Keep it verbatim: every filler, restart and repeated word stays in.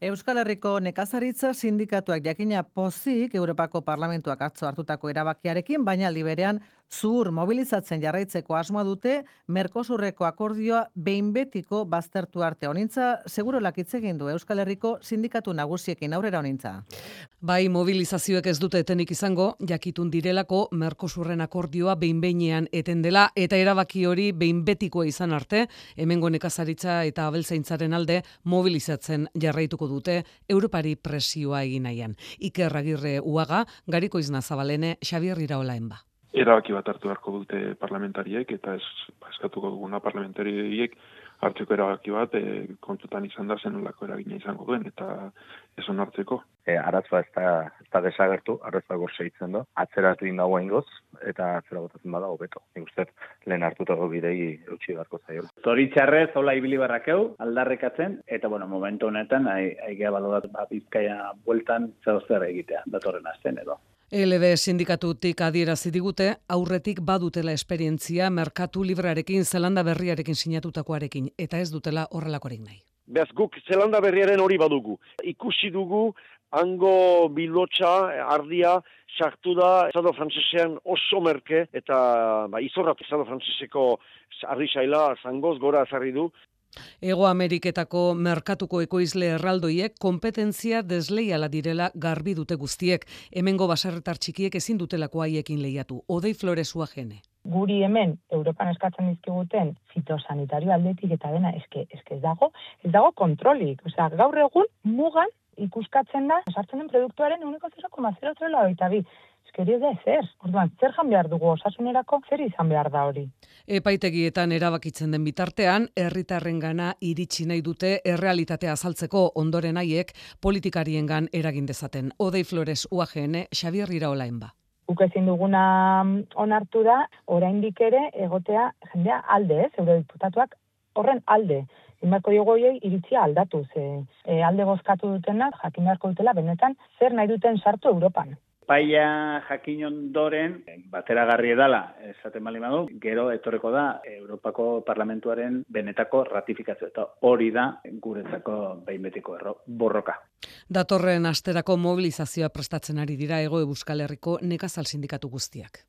Euskal Herriko nekazaritza sindikatuak jakina pozik Europako Parlamentuak atzo hartutako erabakiarekin, baina aldi berean zuhur mobilizatzen jarraitzeko asmoa dute Mercosurreko akordioa behin betiko baztertu arte. Honintza segurolak hitz egin du Euskal Herriko sindikatu nagusiekin aurrera honintza. Bai, mobilizazioek ez dute etenik izango, jakitun direlako Mercosurren akordioa behin-behinean eten dela eta erabaki hori behin betikoa izan arte, hemengo nekazaritza eta abeltzaintzaren alde mobilizatzen jarraituko dute Europari presioa egin nahian. Iker Agirre Uaga, Gariko Izna Zabalene, Xabier Iraolaenba. Erabaki bat hartu beharko dute parlamentariek eta ez eskatuko duguna parlamentariek hartzeko erabaki bat e, kontutan izan da zenolako eragina izango duen eta ez onartzeko. E, arazoa ez da, ez da desagertu, arazoa gorseitzen do, atzeratu indagoa ingoz, eta atzera botatzen bada hobeto. Nik uste lehen hartutako bidei eutxi beharko zaio. Zoritxarrez, hola ibili barrakeu, aldarrekatzen, eta bueno, momentu honetan, aigea balorat ba, Bizkaia bueltan zer zer egitea, datorren asten edo. E L B sindikatutik adierazi digute, aurretik badutela esperientzia merkatu librearekin, Zelanda berriarekin sinatutakoarekin, eta ez dutela horrelakorik nahi. Beaz guk Zelanda berriaren hori badugu. Ikusi dugu, hango bilotxa, ardia, sartu da, Estado frantsesean oso merke, eta ba, izorrat Estado franceseko ardi saila zangoz gora azarri du. Ego Ameriketako merkatuko ekoizle erraldoiek konpetentzia desleiala direla garbi dute guztiek. Hemengo baserritar txikiek ezin dutelako haiekin lehiatu. Odei Floresua jene. Guri hemen Europan eskatzen dizkiguten fitosanitario aldetik eta dena eske eske ez dago, ez dago kontrolik. Osea, gaur egun mugan ikuskatzen da sartzen den produktuaren ehuneko zero koma zero zero laurogeita bi. Eskeri da ezer. Orduan, zer jan behar dugu osasunerako, zer izan behar da hori. Epaitegietan erabakitzen den bitartean, herritarrengana iritsi nahi dute errealitatea azaltzeko ondoren haiek politikariengan eragin dezaten. Odei Flores U A G N, Xabier Iraolaenba. Guk ezin duguna onartu da, oraindik ere egotea jendea alde, ez, eurodiputatuak horren alde. Inbarko diogu horiei iritzia aldatu, ze e, alde bozkatu dutenak jakin beharko dutela benetan zer nahi duten sartu Europan. Paia jakin ondoren, bateragarri edala, esaten bali badu, gero etorreko da Europako Parlamentuaren benetako ratifikazio, eta hori da guretzako behin betiko erro, borroka. Datorren asterako mobilizazioa prestatzen ari dira Hego Euskal Herriko nekazal sindikatu guztiak.